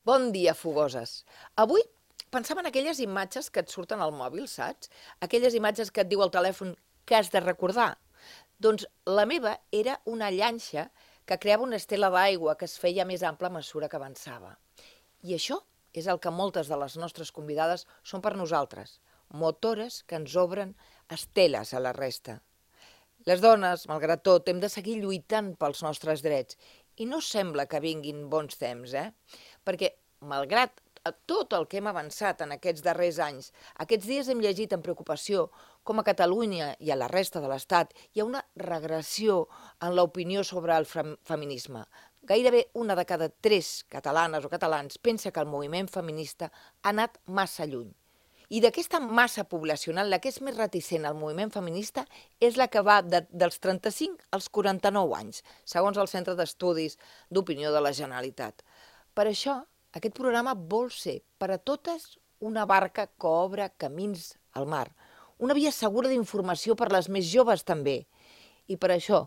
Bon dia, fogoses. Avui pensava en aquelles imatges que et surten al mòbil, saps? Aquelles imatges que et diu el telèfon que has de recordar. Doncs la meva era una llanxa que creava una estela d'aigua que es feia més ampla a mesura que avançava. I això és el que moltes de les nostres convidades són per nosaltres, motores que ens obren esteles a la resta. Les dones, malgrat tot, hem de seguir lluitant pels nostres drets. I no sembla que vinguin bons temps, Perquè, malgrat tot el que hem avançat en aquests darrers anys, aquests dies hem llegit amb preocupació com a Catalunya i a la resta de l'Estat hi ha una regressió en l'opinió sobre el feminisme. Gairebé una de cada 3 catalanes o catalans pensa que el moviment feminista ha anat massa lluny. I d'aquesta massa poblacional, la que és més reticent al moviment feminista és la que va dels 35 als 49 anys, segons el Centre d'Estudis d'Opinió de la Generalitat. Per això, aquest programa vol ser per a totes una barca que obre camins al mar, una via segura d'informació per les més joves també. I per això,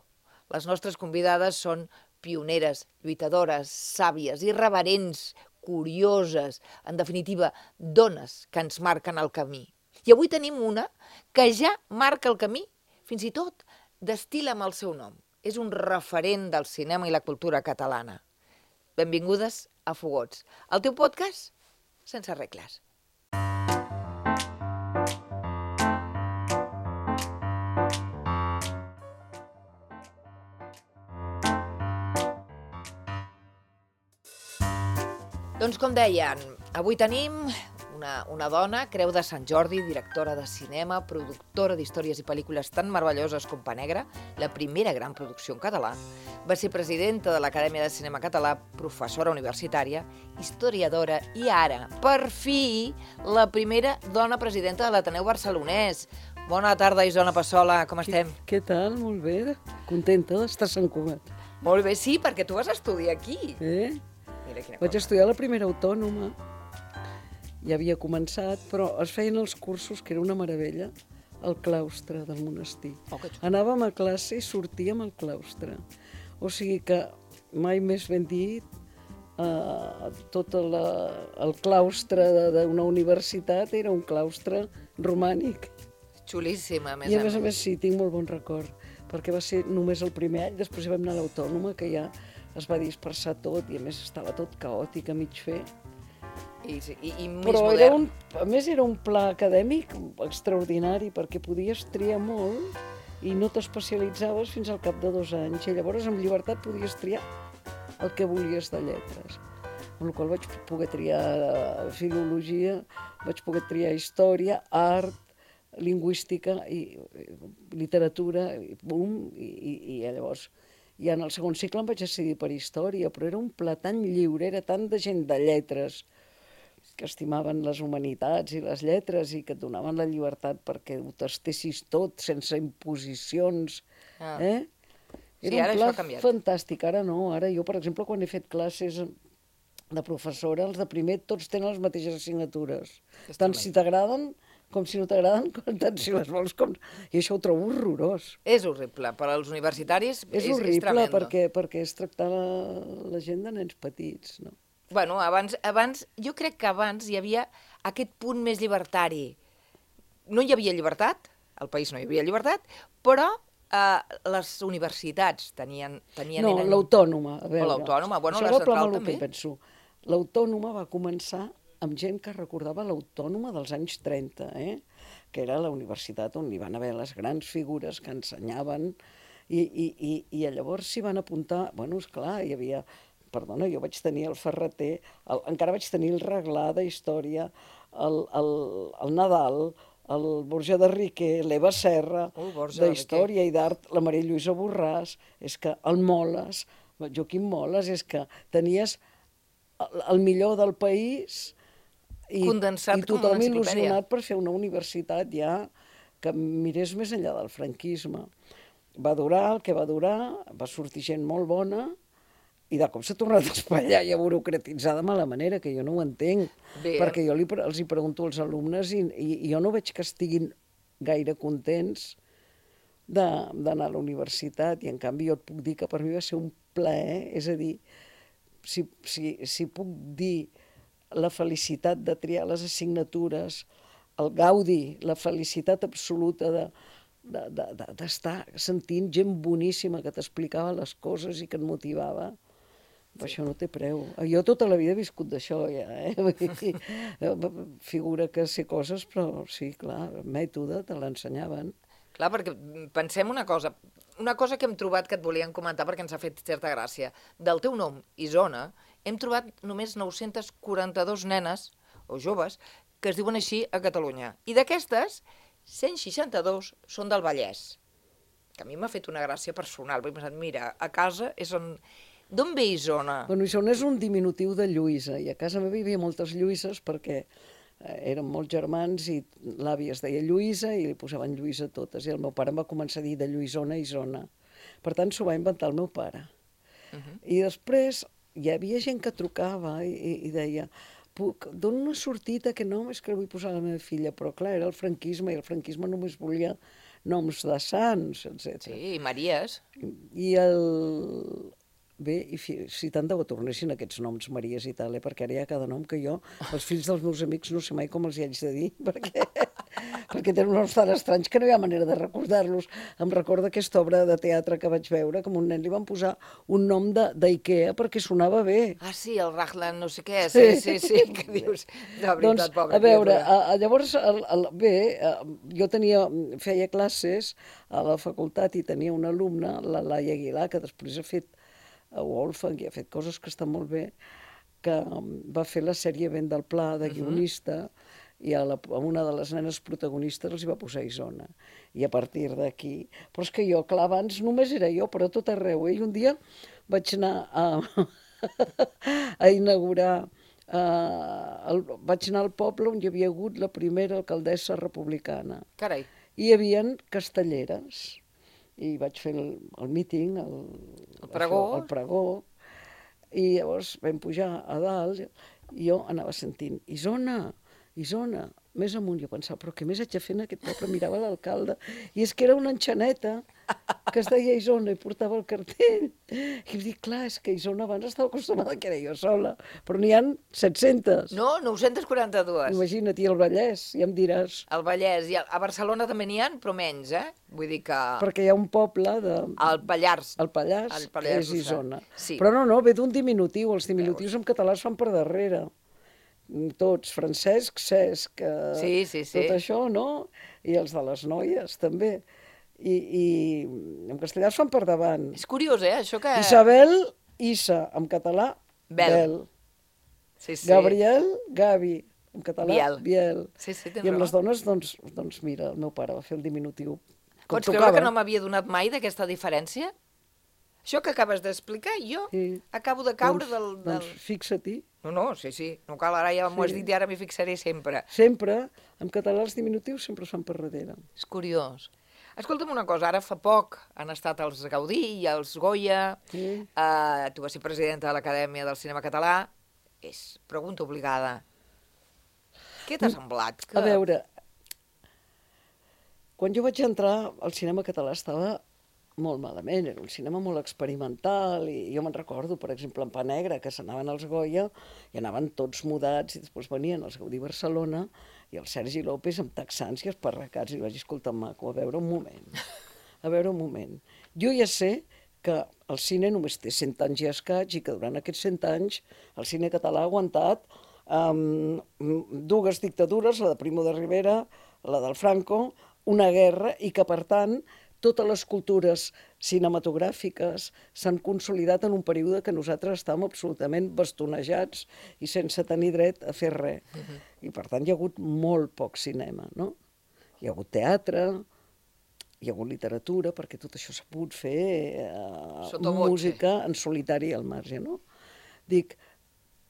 les nostres convidades són pioneres, lluitadores, sàvies, irreverents, curioses, en definitiva, dones que ens marquen el camí. I avui tenim una que ja marca el camí, fins i tot destil·la amb el seu nom. És un referent del cinema i la cultura catalana. Benvingudes a Fogots, el teu podcast sense regles. Doncs com deien, avui tenim una dona, Creu de Sant Jordi, directora de cinema, productora d'històries i pel·lícules tan meravelloses com Pa Negre, la primera gran producció en català. Va ser presidenta de l'Acadèmia de Cinema Català, professora universitària, historiadora i ara, per fi, la primera dona presidenta de l'Ateneu Barcelonès. Bona tarda, Isona Passola, com estem? Què tal? Molt bé. Contenta d'estar a Sant Cugat. Molt bé, sí, perquè tu vas estudiar aquí. Mira quina Vaig estudiar la primera autònoma. Ja havia començat, però es feien els cursos, que era una meravella, al claustre del monestir. Oh, que xulo. Anàvem a classe i sortíem al claustre. O sigui que mai més ben dit, tot el claustre d'una universitat era un claustre romànic. Xulíssima, a més I a més sí, tinc molt bon record, perquè va ser només el primer any, després vam anar a l'autònoma, que ja es va dispersar tot i a més estava tot caòtic a mig fer. I més Però modern. a més era un pla acadèmic extraordinari, perquè podies triar molt i no t'especialitzaves fins al cap de 2 anys. I llavors amb llibertat podies triar el que volies de lletres. Amb la qual vaig poder triar filologia, vaig poder triar història, art, lingüística i literatura, i llavors ja en el segon cicle em vaig decidir per història, però era un pla tan lliure, era tant de gent de lletres que estimaven les humanitats i les lletres i que et donaven la llibertat perquè ho tastessis tot, sense imposicions. Sí, Era ara un això pla ha canviat. fantàstic. Ara no, ara jo, per exemple, quan he fet classes de professora, els de primer tots tenen les mateixes assignatures. Tant si t'agraden com si no t'agraden, tant si les vols com... I això ho trobo horrorós. És horrible, per als universitaris És horrible tremendo. perquè és tractar la gent de nens petits, no? Bueno, abans, jo crec que abans hi havia aquest punt més llibertari. No hi havia llibertat, al país no hi havia llibertat, però les universitats tenien... No, l'autònoma, a veure. O l'autònoma, bueno, això la és el problema central el que també. penso. L'autònoma va començar amb gent que recordava l'autònoma dels anys 30, que era la universitat on hi van haver les grans figures que ensenyaven, i llavors s'hi van apuntar... Bueno, esclar, hi havia... Perdona, jo vaig tenir el Ferreter, encara vaig tenir el Reglà de Història, el Nadal, el Borja de Riquer, l'Eva Serra, Borja de d'Història i d'Art, la Maria Lluïsa Borràs, és que el Moles, Joaquim Moles, és que tenies el millor del país i Condensat com una tothom enciclopèdia. il·lusionat per fer una universitat ja que mirés més enllà del franquisme. Va durar el que va durar, va sortir gent molt bona, i de cop s'ha tornat a espatllar i a burocratitzar de mala manera, que jo no ho entenc. Bé. Perquè jo els hi pregunto als alumnes i jo no veig que estiguin gaire contents d'anar a la universitat, i en canvi jo et puc dir que per mi va ser un plaer, és a dir, si puc dir la felicitat de triar les assignatures, el gaudi, la felicitat absoluta d'estar sentint gent boníssima que t'explicava les coses i que et motivava. Això no té preu. Jo tota la vida he viscut d'això, ja, Figura que sé coses, però sí, clar, el mètode te l'ensenyaven. Clar, perquè pensem una cosa que hem trobat que et volíem comentar perquè ens ha fet certa gràcia. Del teu nom, Isona, hem trobat només 942 nenes, o joves, que es diuen així a Catalunya. I d'aquestes, 162 són del Vallès. Que a mi m'ha fet una gràcia personal, perquè he pensat, mira, a casa és on... D'on ve Isona? Bueno, Isona és un diminutiu de Lluïsa, i a casa meva hi havia moltes Lluïses perquè érem molts germans i l'àvia es deia Lluïsa i li posaven Lluïsa a totes, i el meu pare em va començar a dir de Lluïsona a Isona. Per tant, s'ho va inventar el meu pare. I després hi havia gent que trucava i deia dono una sortida que no, és que la vull posar a la meva filla, però clar, era el franquisme, i el franquisme només volia noms de sants, etc. Sí, i Maries. I Bé, i si tant de bo tornessin aquests noms Maries i tal, perquè ara hi ha cada nom que jo, els fills dels meus amics, no sé mai com els hi haig de dir, perquè tenen noms tan estranys que no hi ha manera de recordar-los. Em recorda aquesta obra de teatre que vaig veure, que a un nen li van posar un nom d'Ikea perquè sonava bé. Ah, sí, el Raglan no sé què, sí, que dius, de veritat, doncs, pobra. A veure, llavors, jo feia classes a la facultat i tenia una alumna, la Laia Aguilar, que després ha fet a Wolfgang i ha fet coses que estan molt bé, que va fer la sèrie Vent del Pla de guionista, i a una de les nenes protagonistes els hi va posar Isona. I a partir d'aquí... Però és que jo, clar, abans només era jo, però a tot arreu. I un dia vaig anar a inaugurar... Vaig anar al poble on hi havia hagut la primera alcaldessa republicana. Carai. I hi havia castelleres. I vaig fer el míting, el pregó, i llavors vam pujar a dalt i jo anava sentint Isona, Isona, més amunt. Jo pensava, però què més haig de fer en aquest poble? Mirava l'alcalde, i és que era una enxaneta que es deia Isona i portava el cartell. I em dic, clar, és que Isona abans estava acostumada que era jo sola, però n'hi ha 700. No, 942. Imagina't, i el Vallès, ja em diràs. El Vallès, i a Barcelona també n'hi ha, però menys, Vull dir que... Perquè hi ha un poble de... El Pallars. El Pallars, que és Isona. Sí. Però no, ve d'un diminutiu. Els diminutius en català es fan per darrere. Tots, Francesc, Cesc, tot això, no? I els de les noies, també. I en castellà es fan per davant. És curiós, això que... Isabel, Issa, en català, Bel. Sí. Gabriel, Gavi, en català, Biel. Sí, I amb les dones, doncs mira, el meu pare va fer el diminutiu. Pots creure que no m'havia donat mai d'aquesta diferència? Això que acabes d'explicar, jo acabo de caure del... Doncs fixa-t'hi. No, sí, no cal, ara ja m'ho has dit i ara m'hi fixaré sempre. Sempre, en català els diminutius sempre es fan per darrere. És curiós. Escolta'm una cosa, ara fa poc han estat els Gaudí i els Goya, tu vas ser presidenta de l'Acadèmia del Cinema Català, és pregunta obligada. Què t'ha semblat? A veure, quan jo vaig entrar, el cinema català estava molt malament, era un cinema molt experimental, i jo me'n recordo, per exemple, en Pa Negre, que s'anaven als Goya i anaven tots mudats, i després venien els Gaudí Barcelona i el Sergi López amb texans i esparracats, i vaig dir, escolta, maco, a veure un moment. Jo ja sé que el cine només té 100 anys i escaig, i que durant aquests 100 anys el cine català ha aguantat dues dictadures, la de Primo de Rivera, la del Franco, una guerra, i que, per tant, totes les cultures cinematogràfiques s'han consolidat en un període que nosaltres estàvem absolutament bastonejats i sense tenir dret a fer res. I, per tant, hi ha hagut molt poc cinema, no? Hi ha hagut teatre, hi ha hagut literatura, perquè tot això s'ha pogut fer música en solitari al marge, no? Dic,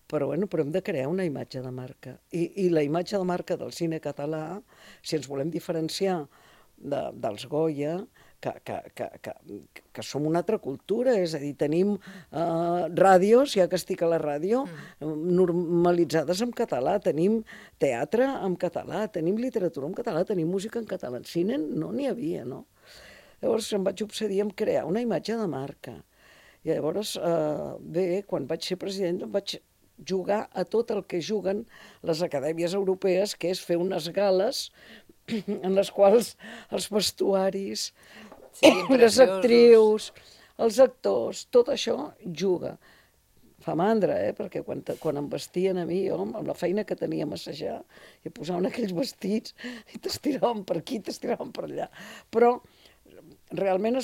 però hem de crear una imatge de marca. I la imatge de marca del cine català, si ens volem diferenciar dels Goya, que som una altra cultura, és a dir, tenim ràdios, ja que estic a la ràdio, normalitzades en català, tenim teatre en català, tenim literatura en català, tenim música en català. En cine no n'hi havia, no? Llavors em vaig obsedir en crear una imatge de marca. I llavors, quan vaig ser president, vaig jugar a tot el que juguen les acadèmies europees, que és fer unes gales en les quals els vestuaris, les actrius, els actors, tot això juga. Fa mandra, perquè quan em vestien a mi, jo, amb la feina que tenia a massajar, i posaven aquells vestits i t'estiraven per aquí, t'estiraven per allà. Però realment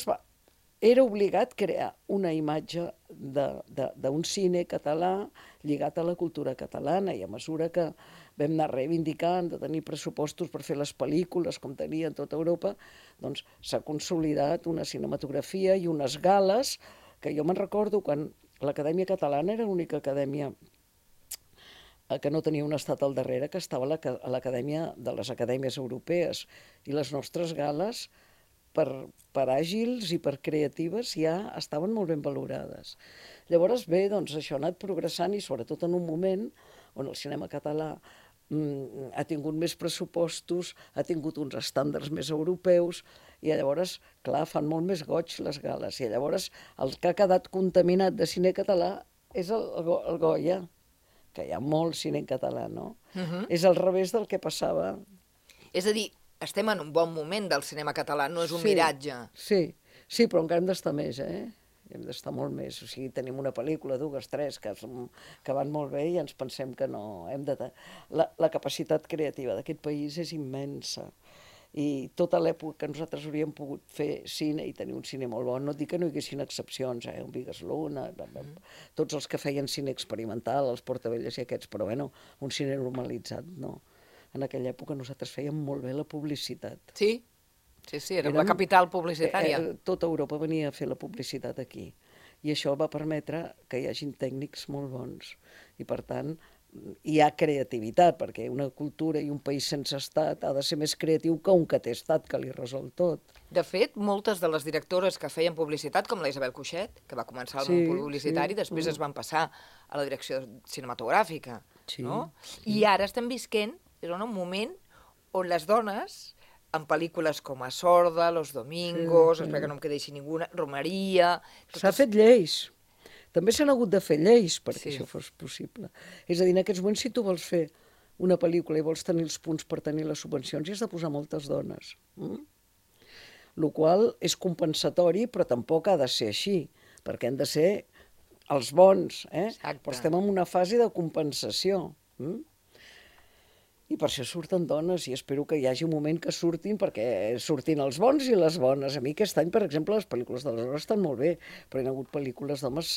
era obligat crear una imatge d'un cine català lligat a la cultura catalana, i a mesura que vam anar reivindicant de tenir pressupostos per fer les pel·lícules com tenia en tota Europa, doncs s'ha consolidat una cinematografia i unes gales que jo me'n recordo quan l'Acadèmia Catalana era l'única acadèmia que no tenia un estat al darrere, que estava a l'Acadèmia de les Acadèmies Europees, i les nostres gales, per àgils i per creatives, ja estaven molt ben valorades. Llavors, bé, doncs això ha anat progressant, i sobretot en un moment on el cinema català ha tingut més pressupostos, ha tingut uns estàndards més europeus, i llavors, clar, fan molt més goig les gales. I llavors el que ha quedat contaminat de cine català és el Goya, que hi ha molt cine en català, no? És al revés del que passava. És a dir, estem en un bon moment del cinema català, no és un miratge. Sí, però encara hem d'estar més, hem d'estar molt més. O sigui, tenim una pel·lícula, dues, tres, que van molt bé, i ens pensem que no. La capacitat creativa d'aquest país és immensa. I tota l'època que nosaltres hauríem pogut fer cine i tenir un cine molt bon, no et dic que no hi haguessin excepcions, un Vigas Luna, tots els que feien cine experimental, els Portavelles i aquests, però bueno, un cine normalitzat, no. En aquella època nosaltres fèiem molt bé la publicitat. Sí, era la capital publicitària. Tota Europa venia a fer la publicitat aquí, i això va permetre que hi hagin tècnics molt bons, i per tant hi ha creativitat, perquè una cultura i un país sense estat ha de ser més creatiu que un que té estat, que li resol tot. De fet, moltes de les directores que feien publicitat, com la Isabel Cuixet, que va començar al món publicitari, després es van passar a la direcció cinematogràfica, no? I ara estem visquent, és un moment on les dones, en pel·lícules com A Sorda, Los Domingos, espera que no em quedi així ninguna, Romeria... S'ha fet lleis. També s'han hagut de fer lleis perquè això fos possible. És a dir, en aquests moments, si tu vols fer una pel·lícula i vols tenir els punts per tenir les subvencions, hi has de posar moltes dones. El qual és compensatori, però tampoc ha de ser així, perquè han de ser els bons, però estem en una fase de compensació. I per això surten dones, i espero que hi hagi un moment que surtin, perquè surtin els bons i les bones. A mi aquest any, per exemple, les pel·lícules de les dones estan molt bé, però hi ha hagut pel·lícules d'homes,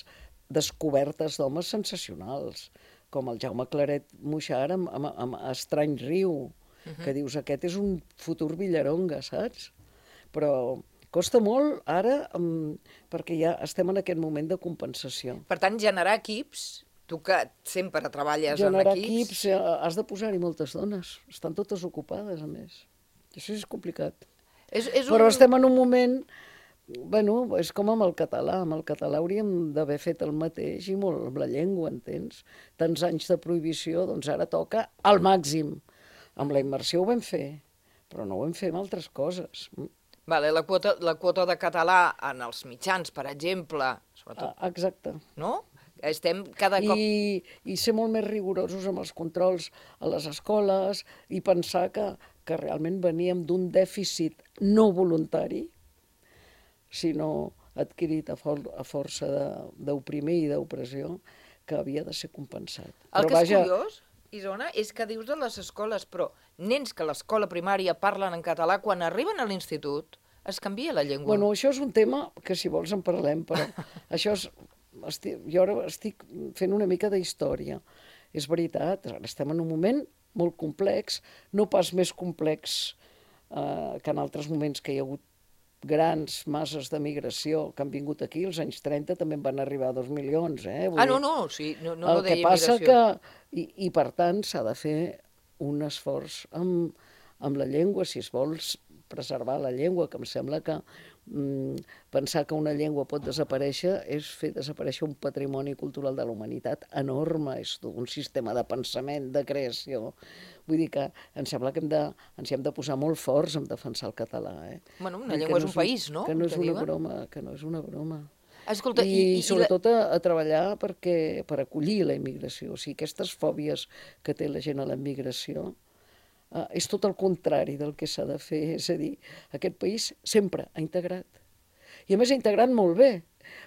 descobertes d'homes sensacionals, com el Jaume Claret Muixart amb Estrany riu, que dius, aquest és un futur Villaronga, saps? Però costa molt ara, perquè ja estem en aquest moment de compensació. Per tant, generar equips... Tu que sempre treballes en equips... Generar equips, has de posar-hi moltes dones. Estan totes ocupades, a més. Això és complicat. Però estem en un moment... Bueno, és com amb el català. Amb el català hauríem d'haver fet el mateix, i molt amb la llengua, entens? Tants anys de prohibició, doncs ara toca al màxim. Amb la immersió ho vam fer, però no ho vam fer amb altres coses. Vale, la quota de català en els mitjans, per exemple... Exacte. No? Estem cada cop... I ser molt més rigorosos amb els controls a les escoles, i pensar que realment veníem d'un dèficit no voluntari, sinó adquirit a força d'oprimir i d'opressió, que havia de ser compensat. El que és curiós, Isona, és que dius de les escoles, però nens que a l'escola primària parlen en català, quan arriben a l'institut es canvia la llengua. Bueno, això és un tema que, si vols, en parlem, però això és... Jo ara estic fent una mica d'història. És veritat, estem en un moment molt complex, no pas més complex que en altres moments que hi ha hagut grans masses de migració que han vingut aquí. Als anys 30 també en van arribar 2 milions. Sí, no el que passa que... I per tant s'ha de fer un esforç amb la llengua, si es vols preservar la llengua, que em sembla que pensar que una llengua pot desaparèixer és fer desaparèixer un patrimoni cultural de la humanitat enorme, és un sistema de pensament, de creació. Vull dir que em sembla que ens hi hem de posar molt forts en defensar el català. Bueno, una llengua és un país, no? Que no és una broma, que no és una broma. Escolta, I sobretot a treballar per acollir la immigració. O sigui, aquestes fòbies que té la gent a la immigració és tot el contrari del que s'ha de fer. És a dir, aquest país sempre ha integrat. I a més ha integrat molt bé,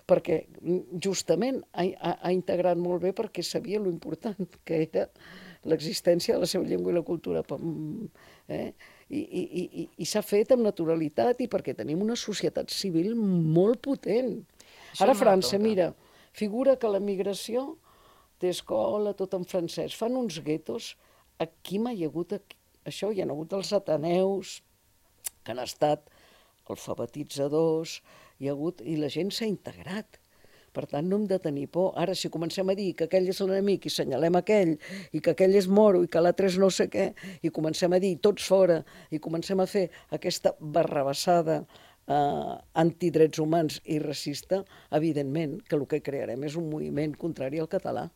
perquè justament ha integrat molt bé perquè sabia lo important que era l'existència de la seva llengua i la cultura. I s'ha fet amb naturalitat i perquè tenim una societat civil molt potent. Ara a França, mira, figura que la migració té escola, tot en francès. Fan uns guetos. Aquí mai hi ha hagut això, hi ha hagut els ateneus, que han estat alfabetitzadors, i la gent s'ha integrat. Per tant, no hem de tenir por. Ara, si comencem a dir que aquell és l'enemic i senyalem aquell, i que aquell és moro i que l'altre és no sé què, i comencem a dir tots fora, i comencem a fer aquesta barrabassada antidrets humans i racista, evidentment que el que crearem és un moviment contrari al català.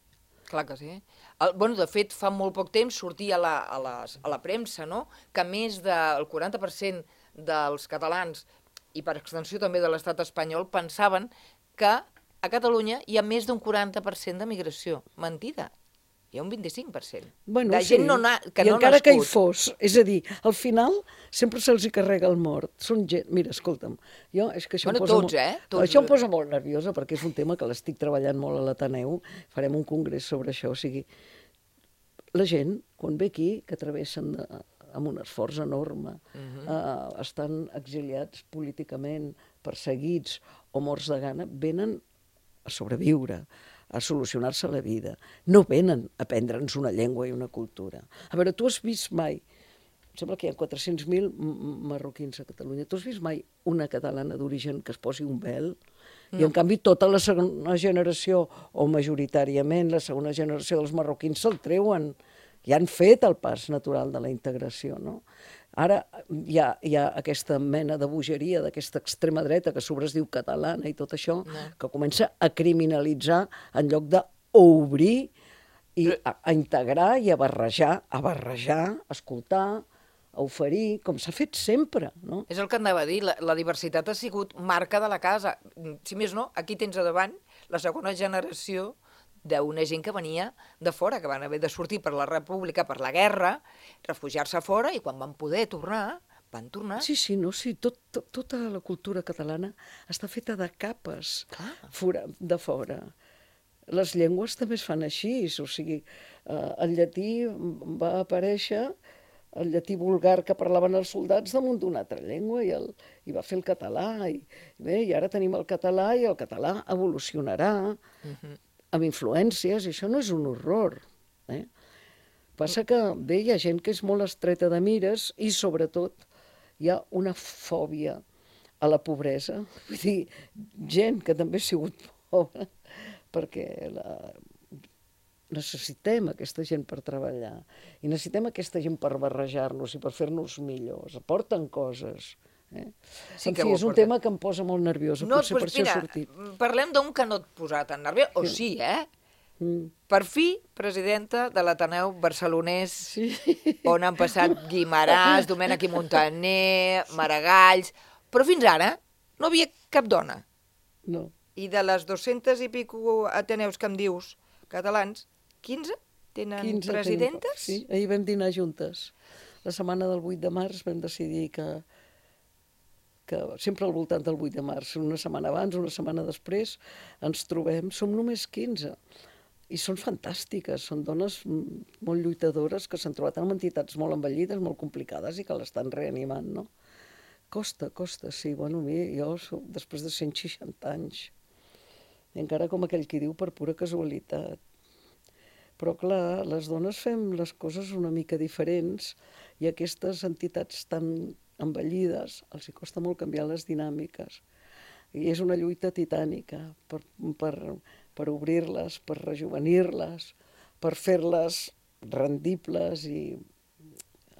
Clar que sí. De fet, fa molt poc temps sortia a la premsa, no?, que més del 40% dels catalans, i per extensió també de l'estat espanyol, pensaven que a Catalunya hi ha més d'un 40% de migració. Mentida. Hi ha un 25%. De gent que no ha nascut. I encara que hi fos. És a dir, al final sempre se'ls carrega el mort. Són gent... Mira, escolta'm, és que això això em posa molt nerviosa perquè és un tema que l'estic treballant molt a l'Ateneu. Farem un congrés sobre això. O sigui, la gent, quan ve aquí, que travessen amb un esforç enorme, estan exiliats políticament, perseguits o morts de gana, venen a sobreviure, a solucionar-se la vida. No venen a aprendre'ns una llengua i una cultura. A veure, tu has vist mai, em sembla que hi ha 400.000 marroquins a Catalunya, tu has vist mai una catalana d'origen que es posi un vel? No. I en canvi tota la segona generació, o majoritàriament la segona generació dels marroquins se'l treuen, i han fet el pas natural de la integració, no? Ara hi ha aquesta mena de bogeria d'aquesta extrema dreta que a sobre es diu catalana i tot això, que comença a criminalitzar en lloc d'obrir i a integrar i a barrejar, a escoltar, a oferir, com s'ha fet sempre, no? És el que anava a dir, la diversitat ha sigut marca de la casa. Si més no, aquí tens a davant la segona generació d'una gent que venia de fora, que van haver de sortir per la república, per la guerra, refugiar-se fora, i quan van poder tornar, van tornar. Sí, tota la cultura catalana està feta de capes de fora. Les llengües també es fan així, o sigui, el llatí va aparèixer, el llatí vulgar que parlaven els soldats damunt d'una altra llengua, i va fer el català, i ara tenim el català, i el català evolucionarà, amb influències, i això no és un horror. Passa que bé, hi ha gent que és molt estreta de mires i, sobretot, hi ha una fòbia a la pobresa. Vull dir, gent que també ha sigut pobra, perquè necessitem aquesta gent per treballar i necessitem aquesta gent per barrejar-nos i per fer-nos millors. Aporten coses. Sí, en fi, és un tema que em posa molt nerviosa, potser per això ha sortit. Parlem d'un que no et posa tan nerviós, o sí, Per fi, presidenta de l'Ateneu barcelonès, on han passat Guimaràs, Domènech i Montaner, Maragalls, però fins ara no havia cap dona. No. I de les 200 i pico ateneus que em dius, catalans, 15 tenen presidentes? Sí, ahir vam dinar juntes. La setmana del 8 de març vam decidir que sempre al voltant del 8 de març, una setmana abans, una setmana després, ens trobem, som només 15. I són fantàstiques, són dones molt lluitadores que s'han trobat amb entitats molt envellides, molt complicades i que l'estan reanimant, no? Costa, sí. Bueno, jo soc després de 160 anys. I encara com aquell qui diu per pura casualitat. Però clar, les dones fem les coses una mica diferents i aquestes entitats tan envellides els hi costa molt canviar les dinàmiques. I és una lluita titànica per obrir-les, per rejuvenir-les, per fer-les rendibles i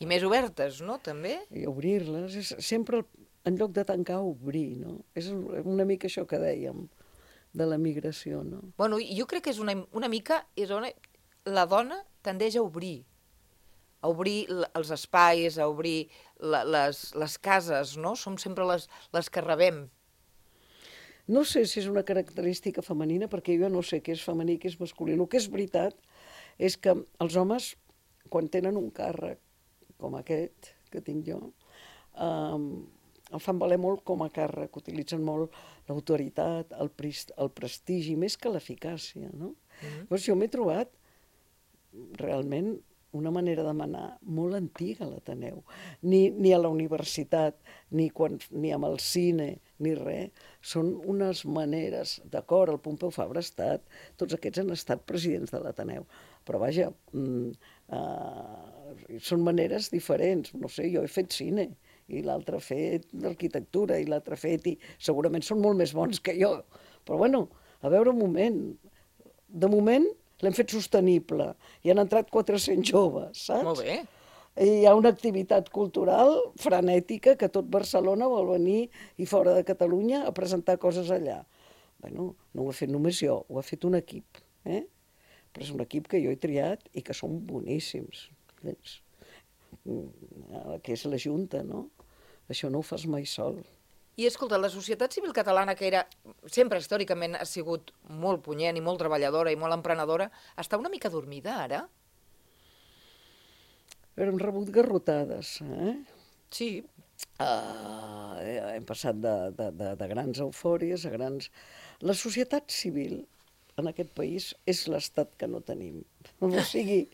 més obertes, no?, també? I obrir-les. És sempre, en lloc de tancar, obrir, no? És una mica això que dèiem de la migració, no? Bueno, jo crec que és una mica... La dona tendeix a obrir els espais, a obrir les cases, no? Som sempre les que rebem. No sé si és una característica femenina, perquè jo no sé què és femení i què és masculí. El que és veritat és que els homes, quan tenen un càrrec com aquest que tinc jo, el fan valer molt com a càrrec, utilitzen molt l'autoritat, el prestigi, més que l'eficàcia, no? Llavors jo m'he trobat realment una manera de manar molt antiga a l'Ateneu. Ni a la universitat, ni amb el cine, ni res. Són unes maneres, d'acord, el Pompeu Fabra ha estat, tots aquests han estat presidents de l'Ateneu, però vaja, són maneres diferents. No sé, jo he fet cine, i l'altre ha fet arquitectura, i l'altre ha fet, i segurament són molt més bons que jo. Però bueno, a veure un moment, de moment l'hem fet sostenible i han entrat 400 joves, saps? Molt bé. I hi ha una activitat cultural frenètica que tot Barcelona vol venir i fora de Catalunya a presentar coses allà. Bueno, no ho he fet només jo, ho ha fet un equip, eh? Però és un equip que jo he triat i que són boníssims. Que és la Junta, no? Això no ho fas mai sol. I escolta, la societat civil catalana, que era sempre històricament ha sigut molt punyent i molt treballadora i molt emprenedora, està una mica dormida ara? Hem rebut garrotades, eh? Sí. Hem passat de grans eufòries a grans... La societat civil en aquest país és l'estat que no tenim. O sigui,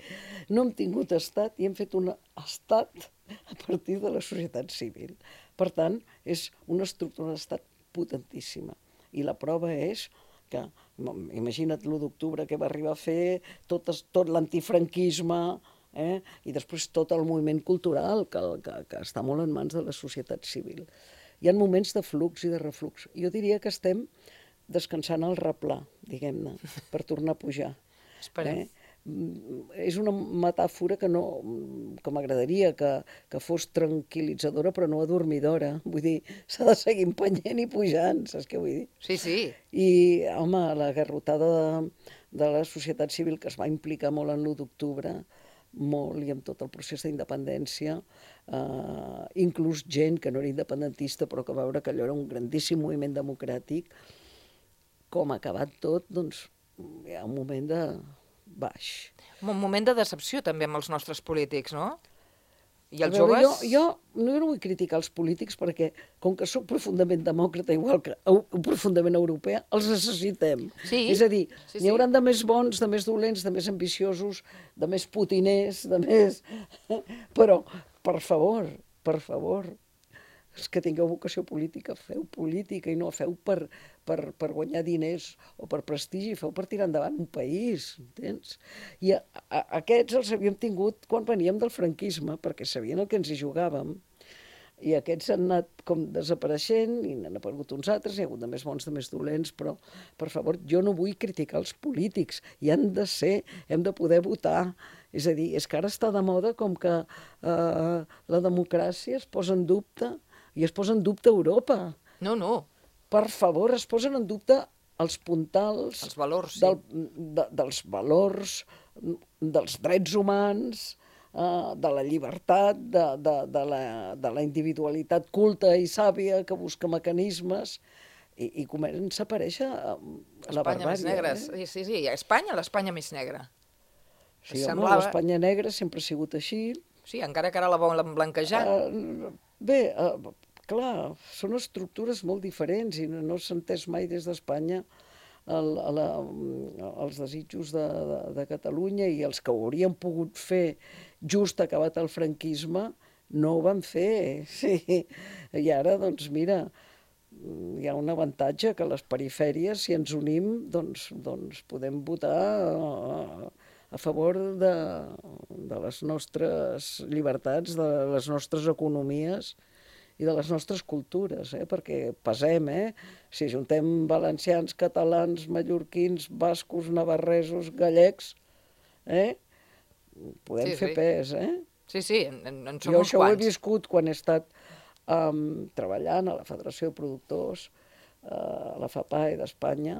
no hem tingut estat i hem fet un estat a partir de la societat civil. Per tant, és una estructura d'estat potentíssima. I la prova és que, imagina't l'1 d'octubre que va arribar a fer tot l'antifranquisme, i després tot el moviment cultural, que està molt en mans de la societat civil. Hi ha moments de flux i de reflux. Jo diria que estem descansant al replà, diguem-ne, per tornar a pujar. Esperem. És una metàfora que m'agradaria que fos tranquil·litzadora però no adormidora. Vull dir, s'ha de seguir empenyent i pujant, saps què vull dir? Sí, sí. I, home, la garrotada de la societat civil que es va implicar molt en l'1 d'octubre, molt, i amb tot el procés d'independència, inclús gent que no era independentista però que va veure que allò era un grandíssim moviment democràtic, com ha acabat tot, doncs hi ha un moment de baix. Un moment de decepció també amb els nostres polítics, no? I els veure, joves... Jo no vull criticar els polítics perquè, com que sóc profundament demòcrata, igual que profundament europea, els necessitem. Sí. És a dir, n'hi hauran de més bons, de més dolents, de més ambiciosos, de més putiners, de més... Però, per favor, els que tingueu vocació política, feu política i no feu per guanyar diners o per prestigi, feu per tirar endavant un país, entens? I aquests els havíem tingut quan veníem del franquisme, perquè sabien el que ens hi jugàvem, i aquests han anat com desapareixent i n'han aparegut uns altres, hi ha hagut de més bons, de més dolents, però, per favor, jo no vull criticar els polítics, hi han de ser, hem de poder votar. És a dir, és que ara està de moda com que la democràcia es posa en dubte, i es posa en dubte Europa. No. Per favor, es posen en dubte els puntals... Els valors, sí. Dels valors, dels drets humans, de la llibertat, de la individualitat culta i sàvia que busca mecanismes, i comença a aparèixer la barbària. Espanya més negra, sí, Espanya, l'Espanya més negra. Sí, home, l'Espanya negra sempre ha sigut així. Sí, encara que ara la volen blanquejar. Bé, clar, són estructures molt diferents i no s'ha entès mai des d'Espanya els desitjos de Catalunya, i els que ho haurien pogut fer just acabat el franquisme no ho van fer. Sí. I ara, doncs mira, hi ha un avantatge, que a les perifèries, si ens unim, doncs podem votar a favor de les nostres llibertats, de les nostres economies i de les nostres cultures, perquè pesem, si juntem valencians, catalans, mallorquins, bascos, navarresos, gallecs, podem fer pes, Sí, en som uns quants. Jo això ho he viscut quan he estat treballant a la Federació de Productors, a la FAPAE d'Espanya.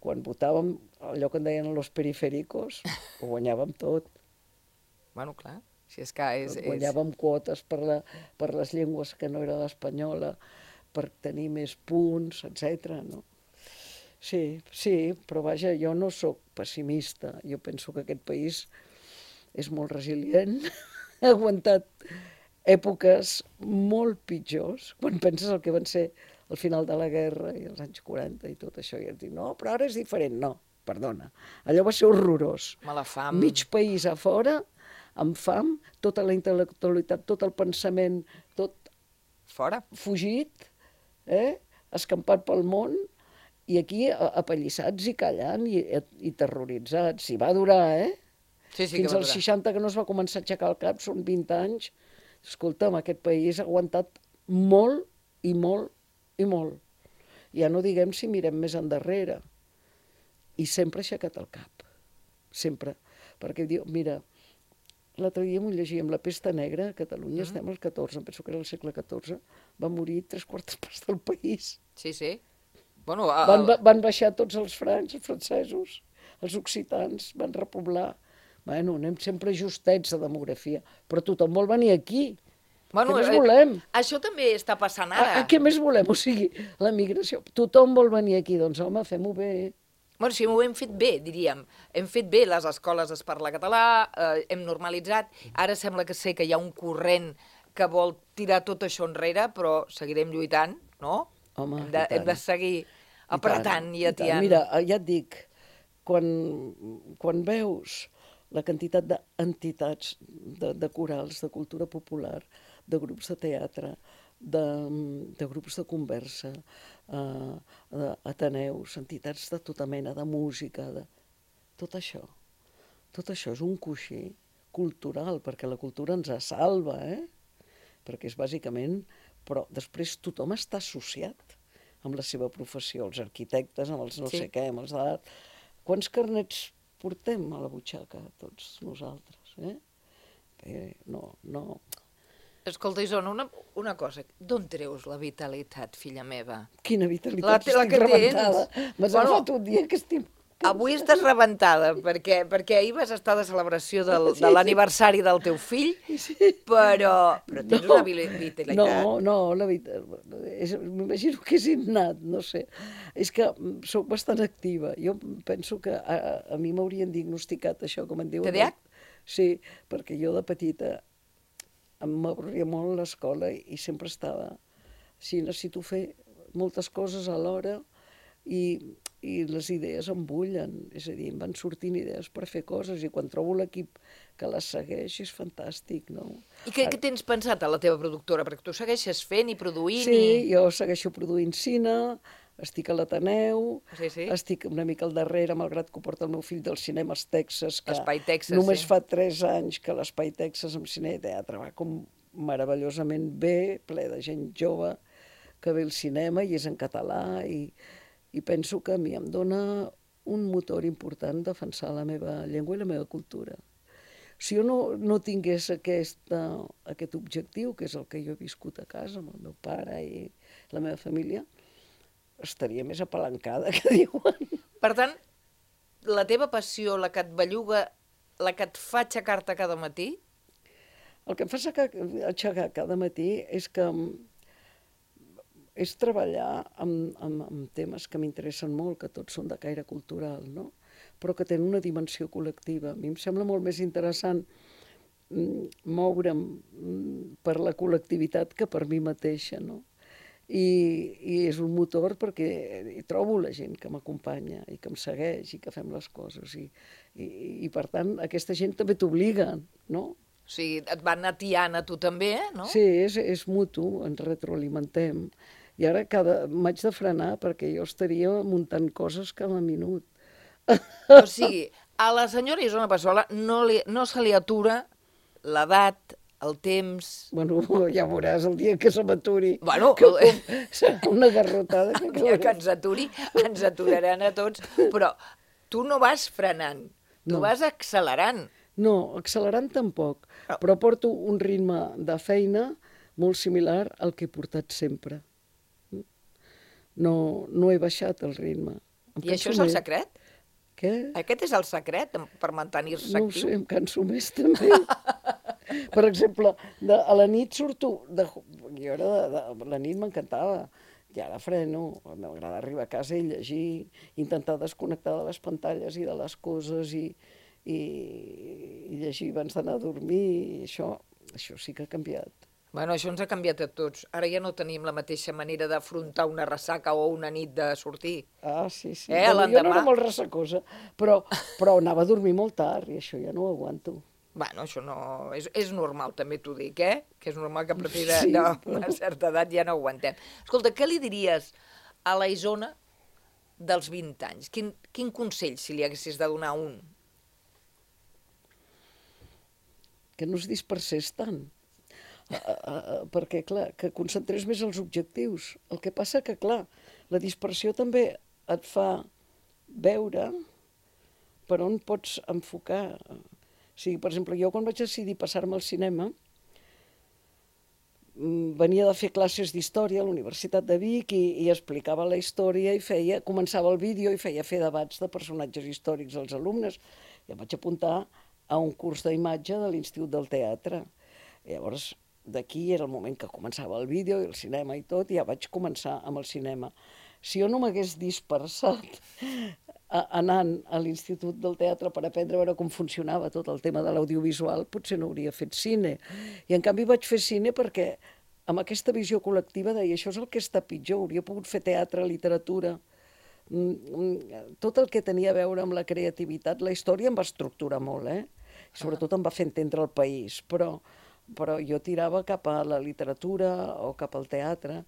Quan votàvem allò que en deien los periféricos, ho guanyàvem tot. Bueno, clar, si és que guanyàvem quotes per les llengües que no era l'espanyola, per tenir més punts, etc. No? sí, però vaja, jo no sóc pessimista. Jo penso que aquest país és molt resilient, ha aguantat èpoques molt pitjors, quan penses el que van ser al final de la guerra i els anys 40 i tot això, i et dic, no, però ara és diferent. No, perdona, allò va ser horrorós. Mala fam. Mig país a fora, amb fam, tota la intel·lectualitat, tot el pensament, tot Fora. fugit, escampat pel món, i aquí apallissats i callant i terroritzats. I va durar, Sí, sí, Fins que va als durar. 60 que no es va començar a aixecar el cap, són 20 anys. Escolta'm, aquest país ha aguantat molt i molt i molt. Ja no diguem si mirem més endarrere. I sempre ha aixecat el cap. Sempre. Perquè diu, mira, l'altre dia m'ho llegíem, la pesta negra, a Catalunya estem al 14, em penso que era el segle XIV, va morir 3/4 parts del país. Sí, sí. Bueno, Van baixar tots els francs, els francesos, els occitans, van repoblar. Bueno, anem sempre justets de demografia, però tothom vol venir aquí. bueno, Què més volem? Això també està passant ara. Què més volem? O sigui, la migració. Tothom vol venir aquí, doncs home, fem-ho bé. Bueno, sí, ho hem fet bé, diríem. Hem fet bé, les escoles es parla català, hem normalitzat. Ara sembla que sé que hi ha un corrent que vol tirar tot això enrere, però seguirem lluitant, no? Home, Hem de seguir apretant i tant. atiant. Mira, ja et dic, quan veus la quantitat d'entitats, de corals, de cultura popular, de grups de teatre, de grups de conversa, ateneus, entitats de tota mena, de música, tot això és un coixí cultural, perquè la cultura ens salva, perquè és bàsicament... Però després tothom està associat amb la seva professió, els arquitectes, amb els no sé què, amb els d'art. Quants carnets portem a la butxaca, tots nosaltres, No. Escolta, Isona, una cosa. D'on treus la vitalitat, filla meva? Quina vitalitat, La estic que rebentada. tens. M'has Bueno, agafat un dia que estic... Avui estàs rebentada, perquè ahir vas estar de celebració de l'aniversari del teu fill, però tens una vitalitat. No, la veritat, m'imagino que és innat, no sé. És que sóc bastant activa. Jo penso que a mi m'haurien diagnosticat això, com en diuen. TDAH? Sí, perquè jo de petita m'avorria molt l'escola i sempre estava... Sí, necessito fer moltes coses alhora i les idees em bullen, és a dir, em van sortint idees per fer coses i quan trobo l'equip que les segueix és fantàstic, no? I què tens pensat a la teva productora? Perquè tu segueixes fent i produint Sí, jo segueixo produint cine, estic a l'Ateneu, Sí. estic una mica al darrere, malgrat que ho porta el meu fill dels cinemes Texas, que Espai Texas, només sí. fa 3 anys que l'Espai Texas amb cine i teatre va com meravellosament bé, ple de gent jove que ve al cinema i és en català i penso que a mi em dona un motor important defensar la meva llengua i la meva cultura. Si jo no tingués aquest objectiu, que és el que jo he viscut a casa amb el meu pare i la meva família, estaria més apalancada, que diuen. Per tant, la teva passió, la que et belluga, la que et fa aixecar-te cada matí, El que em fa aixecar cada matí és treballar amb temes que m'interessen molt, que tots són de caire cultural, no? Però que tenen una dimensió col·lectiva. A mi em sembla molt més interessant moure'm per la col·lectivitat que per mi mateixa, no? I és un motor perquè hi trobo la gent que m'acompanya i que em segueix i que fem les coses. I per tant, aquesta gent també t'obliga, no? o sigui, et van atiant a tu també, no? Sí, és mutu, ens retroalimentem. I ara m'haig de frenar perquè jo estaria muntant coses cada minut. O sigui, a la senyora Isona Passola no se li atura l'edat, el temps... Bueno, ja veuràs el dia que se m'aturi. Bueno, serà una garrotada. el dia que ens aturi, ens aturaran a tots, però tu no vas frenant, tu vas accelerant. No, accelerant tampoc, però porto un ritme de feina molt similar al que he portat sempre. No he baixat el ritme. I això és el secret? Què? Aquest és el secret per mantenir-se No ho actiu? sé, em canso més també. Per exemple, a la nit surto... Jo la nit m'encantava. I ara freno, m'agrada arribar a casa i llegir, intentar desconnectar de les pantalles i de les coses i llegir abans d'anar a dormir, i això sí que ha canviat. Bueno, això ens ha canviat a tots. Ara ja no tenim la mateixa manera d'afrontar una ressaca o una nit de sortir. Ah, sí. L'endemà... Jo no era molt ressacosa, però anava a dormir molt tard i això ja no ho aguanto. Bueno, això no... És normal, també t'ho dic, Que és normal que a partir d'una certa edat ja no aguantem. Escolta, què li diries a la Isona dels 20 anys? Quin consell, si li haguessis de donar un? Que no es dispersés tant. Perquè, clar, que concentrés més els objectius. El que passa que, clar, la dispersió també et fa veure per on pots enfocar. O sigui, per exemple, jo quan vaig decidir passar-me al cinema, venia de fer classes d'història a la Universitat de Vic i explicava la història i començava el vídeo i feia fer debats de personatges històrics als alumnes. I em vaig apuntar a un curs d'imatge de l'Institut del Teatre. I llavors, d'aquí era el moment que començava el vídeo i el cinema i tot, i ja vaig començar amb el cinema. Si jo no m'hagués dispersat anant a l'Institut del Teatre per aprendre a veure com funcionava tot el tema de l'audiovisual, potser no hauria fet cine. I en canvi vaig fer cine perquè amb aquesta visió col·lectiva deia això és el que està pitjor, hauria pogut fer teatre, literatura, tot el que tenia a veure amb la creativitat. La història em va estructurar molt, sobretot em va fer entendre el país, però jo tirava cap a la literatura o cap al teatre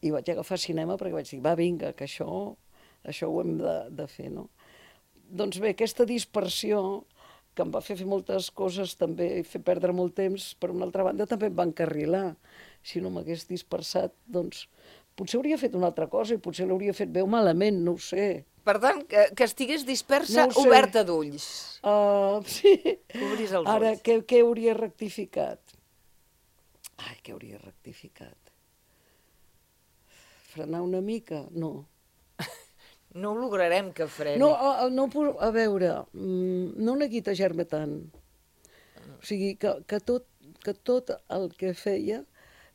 i vaig agafar cinema perquè vaig dir, va, vinga, que això ho hem de fer, no? Doncs bé, aquesta dispersió que em va fer moltes coses també i fer perdre molt temps, per una altra banda també em va encarrilar. Si no m'hagués dispersat, doncs potser hauria fet una altra cosa i potser l'hauria fet bé o malament, no ho sé. Per tant, que estigués dispersa, no oberta d'ulls. Sí. Obris els ulls. Ara, què hauria rectificat? Què hauria rectificat? Frenar una mica? No. No ho lograrem que freni. No, a veure, no neguitejar-me tant. O sigui, que tot el que feia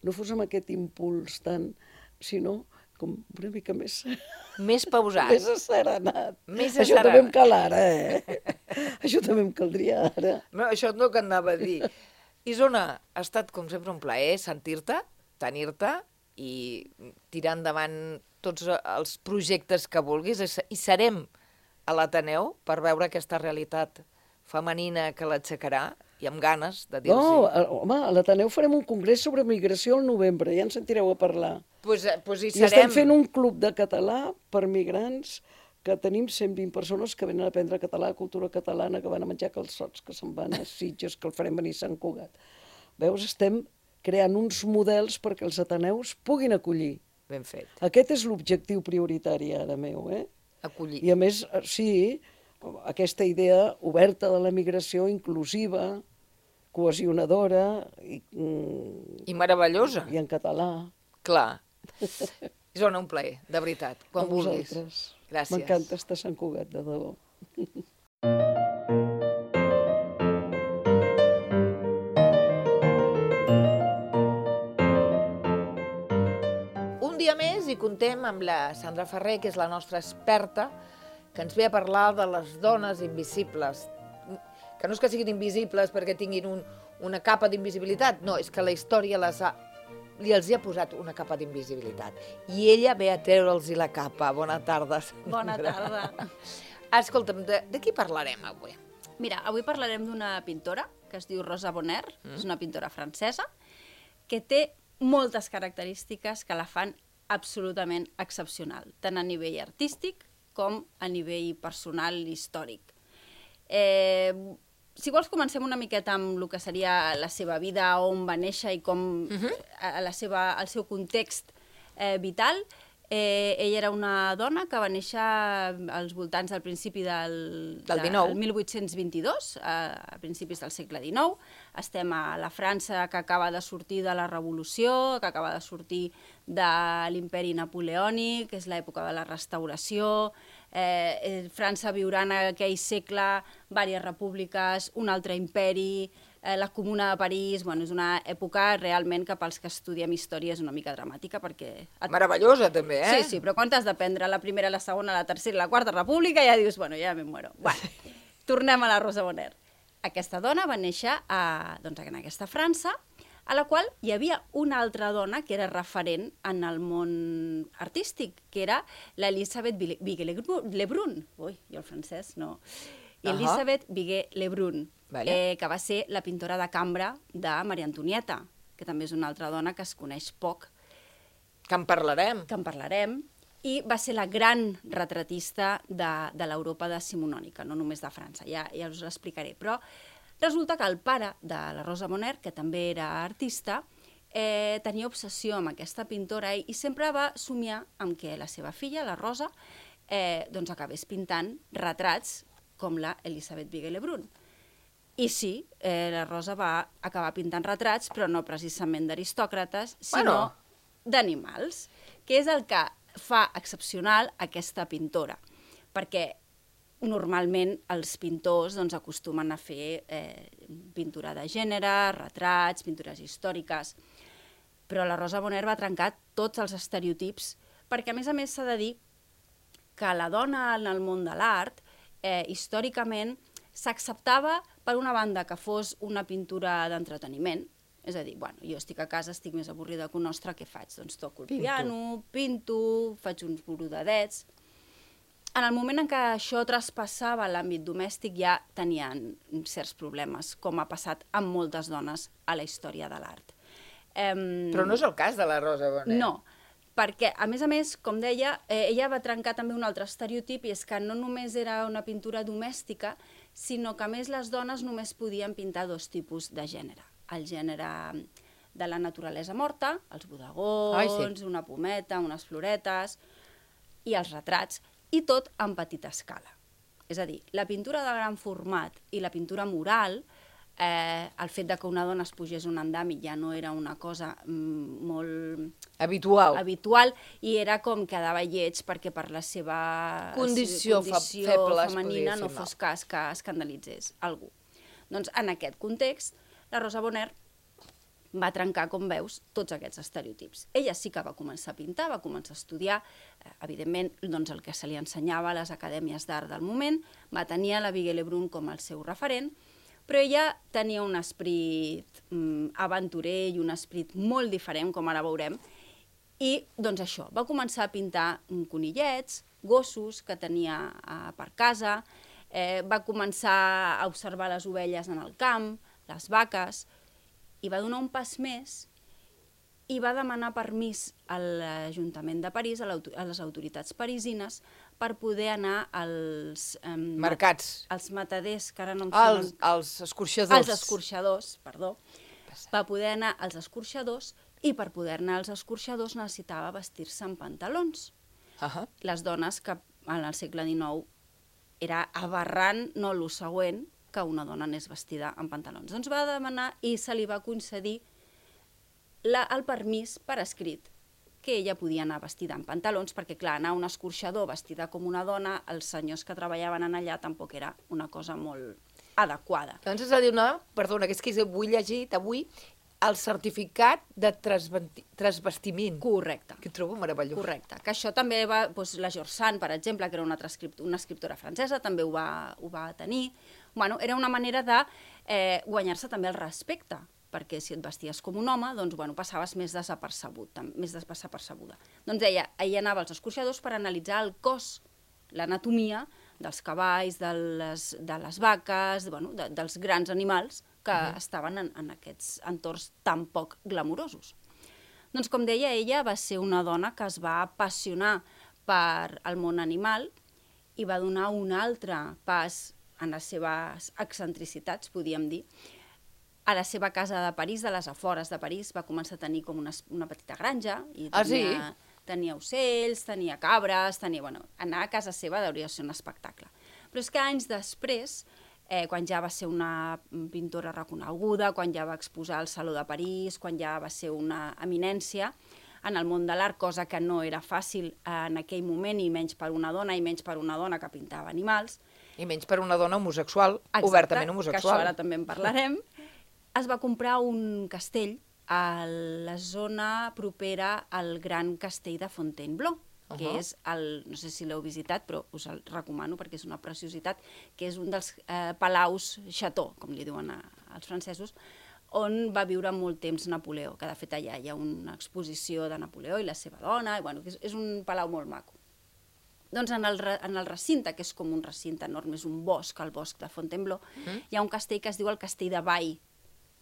no fos amb aquest impuls tant, sinó com una mica més... Més pausat. Més asserenat. Això també em cal ara, Això també em caldria ara. No, això no que anava a dir. Isona, ha estat com sempre un plaer sentir-te, tenir-te i tirar endavant tots els projectes que vulguis i serem a l'Ateneu per veure aquesta realitat femenina que l'aixecarà i amb ganes de dir-los. No, home, a l'Ateneu farem un congrés sobre migració al novembre, ja ens sentireu a parlar. Pues hi serem. I estem fent un club de català per migrants que tenim 120 persones que venen a aprendre català, cultura catalana, que van a menjar calçots, que se'n van a Sitges, que el farem venir a Sant Cugat. Veus, estem creant uns models perquè els ateneus puguin acollir. Ben fet. Aquest és l'objectiu prioritari ara meu, Acollir. I a més, sí, aquesta idea oberta de la migració, inclusiva, cohesionadora i meravellosa. I en català. Clar. Isona, un plaer, de veritat, quan vulguis. Gràcies. M'encanta estar a Sant Cugat, de debò. Un dia més i contem amb la Sandra Ferrer, que és la nostra experta, que ens ve a parlar de les dones invisibles. Que no és que siguin invisibles perquè tinguin una capa d'invisibilitat, no, és que la història els ha posat una capa d'invisibilitat. I ella ve a treure'ls la capa. Bona tarda, Sandra. Bona tarda. Escolta'm, de qui parlarem avui? Mira, avui parlarem d'una pintora que es diu Rosa Bonheur, és una pintora francesa, que té moltes característiques que la fan absolutament excepcional, tant a nivell artístic com a nivell personal i històric. Si vols, comencem una miqueta amb el que seria la seva vida, on va néixer i com el seu context vital. Ella era una dona que va néixer als voltants del principi del 1822, a principis del segle XIX. Estem a la França que acaba de sortir de la Revolució, que acaba de sortir de l'imperi napoleònic, que és l'època de la Restauració, França viurà en aquell segle diverses repúbliques, un altre imperi, la Comuna de París, bueno, és una època realment que pels que estudiem història és una mica dramàtica perquè... Meravellosa, també, eh? Sí, però quan t'has d'aprendre la primera, la segona, la tercera i la quarta república ja dius, bueno, ja me muero. Bueno, tornem a la Rosa Bonheur. Aquesta dona va néixer en aquesta França, a la qual hi havia una altra dona que era referent en el món artístic, que era l'Elisabeth Viguet-Lebrun. Ui, jo el francès no... Elisabeth Viguet-Lebrun, que va ser la pintora de cambra de Maria Antonieta, que també és una altra dona que es coneix poc. Que en parlarem. Que en parlarem. I va ser la gran retratista de l'Europa decimonònica, no només de França, ja us l'explicaré. Però resulta que el pare de la Rosa Bonheur, que també era artista, tenia obsessió amb aquesta pintora i sempre va somiar amb que la seva filla, la Rosa, acabés pintant retrats com la Elisabeth Viguet-Lebrun. I sí, la Rosa va acabar pintant retrats, però no precisament d'aristòcrates, sinó d'animals, que és el que fa excepcional aquesta pintora, perquè normalment els pintors acostumen a fer pintura de gènere, retrats, pintures històriques, però la Rosa Bonheur va trencar tots els estereotips, perquè a més s'ha de dir que la dona en el món de l'art històricament s'acceptava, per una banda, que fos una pintura d'entreteniment, és a dir, jo estic a casa, estic més avorrida que un ostre, què faig? Doncs toco el piano, pinto, faig uns borodadets. En el moment en què això traspassava l'àmbit domèstic ja tenien certs problemes, com ha passat amb moltes dones a la història de l'art. Però no és el cas de la Rosa Bonheur. No, perquè, a més, com deia, ella va trencar també un altre estereotip, i és que no només era una pintura domèstica, sinó que, a més, les dones només podien pintar dos tipus de gènere. El gènere de la naturalesa morta, els bodegons, una pometa, unes floretes, i els retrats, i tot en petita escala. És a dir, la pintura de gran format i la pintura mural, el fet que una dona es pugés un andami ja no era una cosa molt habitual i era com quedava lleig perquè per la seva condició feble femenina no fos cas que escandalitzés algú. Doncs en aquest context la Rosa Bonheur va trencar, com veus, tots aquests estereotips. Ella sí que va començar a pintar, va començar a estudiar, evidentment, el que se li ensenyava a les acadèmies d'art del moment, va tenir a la Viguet-Lebrun com el seu referent, però ella tenia un esperit aventurer i un esperit molt diferent, com ara veurem, i doncs això, va començar a pintar conillets, gossos que tenia per casa, va començar a observar les ovelles en el camp, les vaques, i va donar un pas més i va demanar permís a l'Ajuntament de París, a les autoritats parisines, per poder anar als... mercats. Als mataders, que ara no em sonen... Els escorxadors. Els escorxadors, perdó. Va poder anar als escorxadors i per poder anar als escorxadors necessitava vestir-se amb pantalons. Les dones, que en el segle XIX era aberrant, no el següent, que una dona anés vestida amb pantalons. Doncs va demanar i se li va concedir el permís per escrit que ella podia anar vestida amb pantalons, perquè, clar, anar a un escorxador vestida com una dona, els senyors que treballaven allà tampoc era una cosa molt adequada. Doncs és a dir, perdona, que és que vull llegir avui el certificat de transvestiment. Correcte. Que trobo meravellós. Correcte. Que això també va... la George Sand, per exemple, que era una escriptora francesa, també ho va tenir. Bueno, era una manera de guanyar-se també el respecte, perquè si et vesties com un home, doncs, passaves més desapercebuda. Doncs ella anava als escorxadors per analitzar el cos, l'anatomia dels cavalls, de les vaques, dels grans animals que estaven en aquests entorns tan poc glamurosos. Doncs, com deia, ella va ser una dona que es va apassionar per el món animal i va donar un altre pas en les seves excentricitats, podríem dir. A la seva casa de París, de les afores de París, va començar a tenir com una petita granja. I tenia ocells, tenia cabres, anar a casa seva hauria de ser un espectacle. Però és que anys després, quan ja va ser una pintora reconeguda, quan ja va exposar al Saló de París, quan ja va ser una eminència, en el món de l'art, cosa que no era fàcil en aquell moment, i menys per una dona, que pintava animals. I menys per una dona homosexual, Exacte, obertament que homosexual. això ara també en parlarem. Es va comprar un castell a la zona propera al Gran Castell de Fontainebleau, que és no sé si l'heu visitat, però us el recomano perquè és una preciositat, que és un dels palaus chateau, com li diuen als francesos, on va viure molt temps Napoleó, que de fet allà hi ha una exposició de Napoleó i la seva dona, i bueno, és un palau molt maco. Doncs en el recinte, que és com un recinte enorme, és un bosc, el bosc de Fontainebleau, hi ha un castell que es diu el Castell de Bay,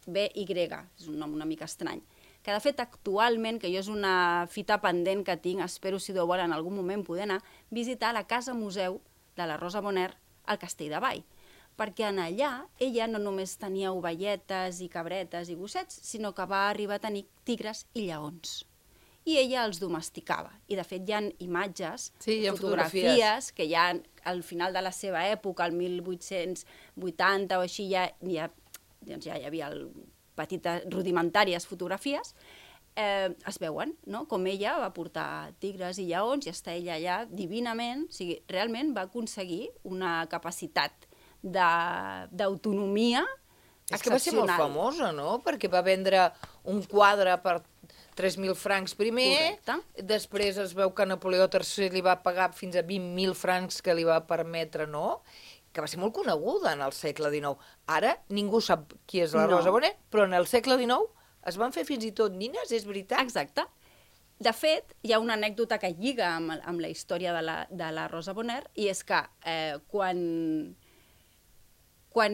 B-Y, és un nom una mica estrany, que de fet actualment, que jo és una fita pendent que tinc, espero si Déu vol en algun moment poder anar, visitar la casa museu de la Rosa Bonheur al Castell de Bay, perquè en allà ella no només tenia ovelletes i cabretes i gossets, sinó que va arribar a tenir tigres i lleons. I ella els domesticava. I de fet hi ha imatges, fotografies, que ja al final de la seva època, el 1880 o així, ja hi havia petites rudimentàries fotografies, es veuen, no? Com ella va portar tigres i lleons i està ella allà divinament, o sigui, realment va aconseguir una capacitat d'autonomia excepcional. És que va ser molt famosa, no? Perquè va vendre un quadre per 3.000 francs primer, després es veu que Napoleó III li va pagar fins a 20.000 francs que li va permetre, no? Que va ser molt coneguda en el segle XIX. Ara ningú sap qui és la Rosa Bonheur, però en el segle XIX es van fer fins i tot nines, és veritat? Exacte. De fet, hi ha una anècdota que lliga amb la història de la Rosa Bonheur, i és que quan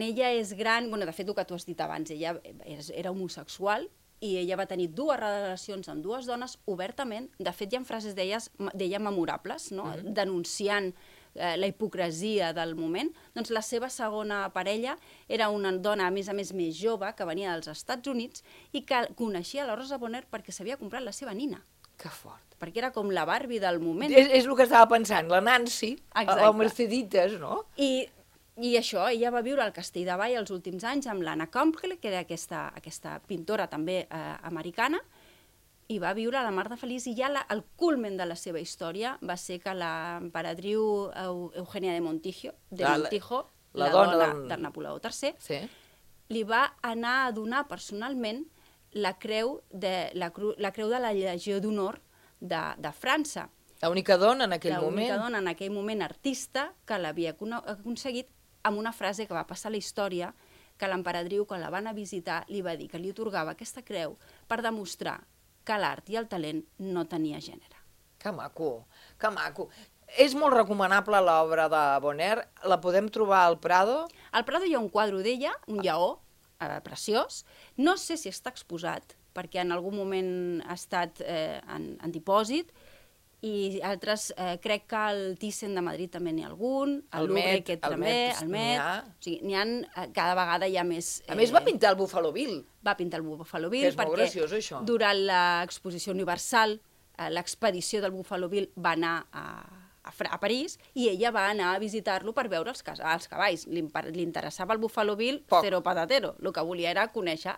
ella és gran, de fet, el que tu has dit abans, ella era homosexual, i ella va tenir 2 relacions amb 2 dones obertament. De fet, hi ha frases d'ella memorables, no? Denunciant la hipocresia del moment. Doncs la seva segona parella era una dona, a més més jove, que venia dels Estats Units i que coneixia la Rosa Bonheur perquè s'havia comprat la seva nina. Que fort. Perquè era com la Barbie del moment. És el que estava pensant, la Nancy, o Merceditas, no? I això, ella va viure al Castell de Bay els últims anys amb l'Anna Campbell, que era aquesta pintora també americana, i va viure a la mar de feliç, i ja el culmen de la seva història va ser que l'emperadriu Eugènia de Montijo, la dona de Napoleó III, li va anar a donar personalment la creu de la Legió d'Honor de França. L'única dona en aquell moment. L'única dona en aquell moment artista que l'havia aconseguit, amb una frase que va passar a la història, que l'emperadriu, quan la van a visitar, li va dir que li atorgava aquesta creu per demostrar que l'art i el talent no tenia gènere. Que maco, que maco. És molt recomanable l'obra de Bonheur. La podem trobar al Prado? Al Prado hi ha un quadre d'ella, un lleó, preciós. No sé si està exposat, perquè en algun moment ha estat en dipòsit, i altres, crec que al Thyssen de Madrid també n'hi ha algun, al Louvre també, al Met, o sigui, cada vegada hi ha més... A més va pintar el Buffalo Bill. Va pintar el Buffalo Bill, perquè durant l'exposició universal, l'expedició del Buffalo Bill va anar a París, i ella va anar a visitar-lo per veure els cavalls. Li interessava el Buffalo Bill, cero patatero. El que volia era conèixer,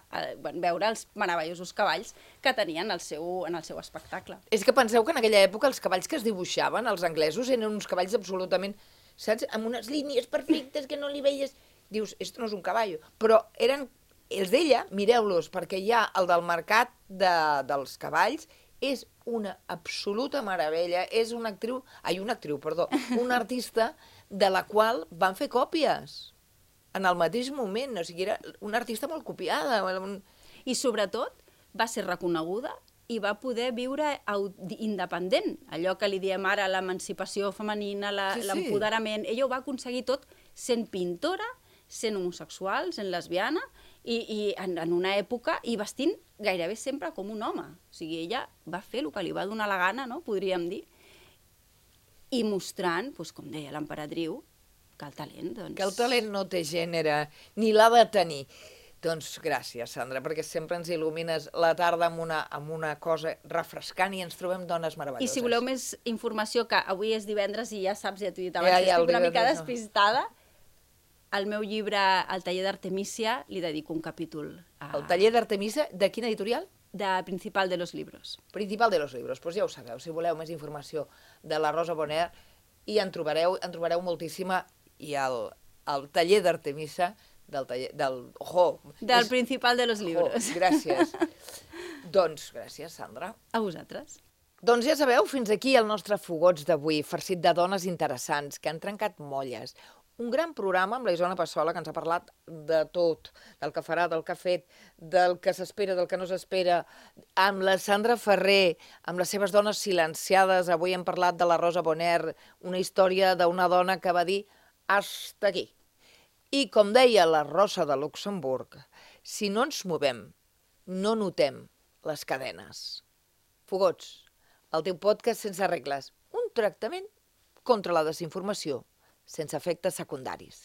veure els meravellosos cavalls que tenien en el seu espectacle. És que penseu que en aquella època els cavalls que es dibuixaven, els anglesos, eren uns cavalls absolutament, saps, amb unes línies perfectes que no li veies. Dius, esto no és un cavall. Però eren els d'ella, mireu-los, perquè hi ha el del mercat dels cavalls, és una absoluta meravella, és una artista de la qual van fer còpies en el mateix moment, o sigui, era una artista molt copiada. I sobretot va ser reconeguda i va poder viure independent, allò que li diem ara l'emancipació femenina, l'empoderament. Ella ho va aconseguir tot sent pintora, sent homosexual, sent lesbiana, i en una època, i vestint gairebé sempre com un home. O sigui, ella va fer el que li va donar la gana, no?, podríem dir, i mostrant, com deia l'emperadriu, que el talent, doncs... Que el talent no té gènere, ni l'ha de tenir. Doncs gràcies, Sandra, perquè sempre ens il·lumines la tarda amb una cosa refrescant i ens trobem dones meravelloses. I si voleu més informació, que avui és divendres i ja saps, ja t'ho he dit abans, estic una mica despistada, al meu llibre El taller d'Artemisia li dedico un capítol El taller d'Artemisa, de quina editorial? de Principal de los Libros. Principal de los Libros. Doncs ja ho sabeu, si voleu més informació de la Rosa Bonheur, i en trobareu moltíssima, i el taller d'Artemisa del Principal de los Libros. Gràcies. Doncs gràcies, Sandra. A vosaltres. Doncs ja sabeu, fins aquí el nostre Fogots d'avui, farcit de dones interessants que han trencat molles. Un gran programa amb la Isona Passola, que ens ha parlat de tot, del que farà, del que ha fet, del que s'espera, del que no s'espera, amb la Sandra Ferrer, amb les seves dones silenciades. Avui hem parlat de la Rosa Bonheur, una història d'una dona que va dir «hasta aquí». I com deia la Rosa de Luxemburg, si no ens movem, no notem les cadenes. Fogots, el teu podcast sense regles, un tractament contra la desinformació, sense efectes secundaris.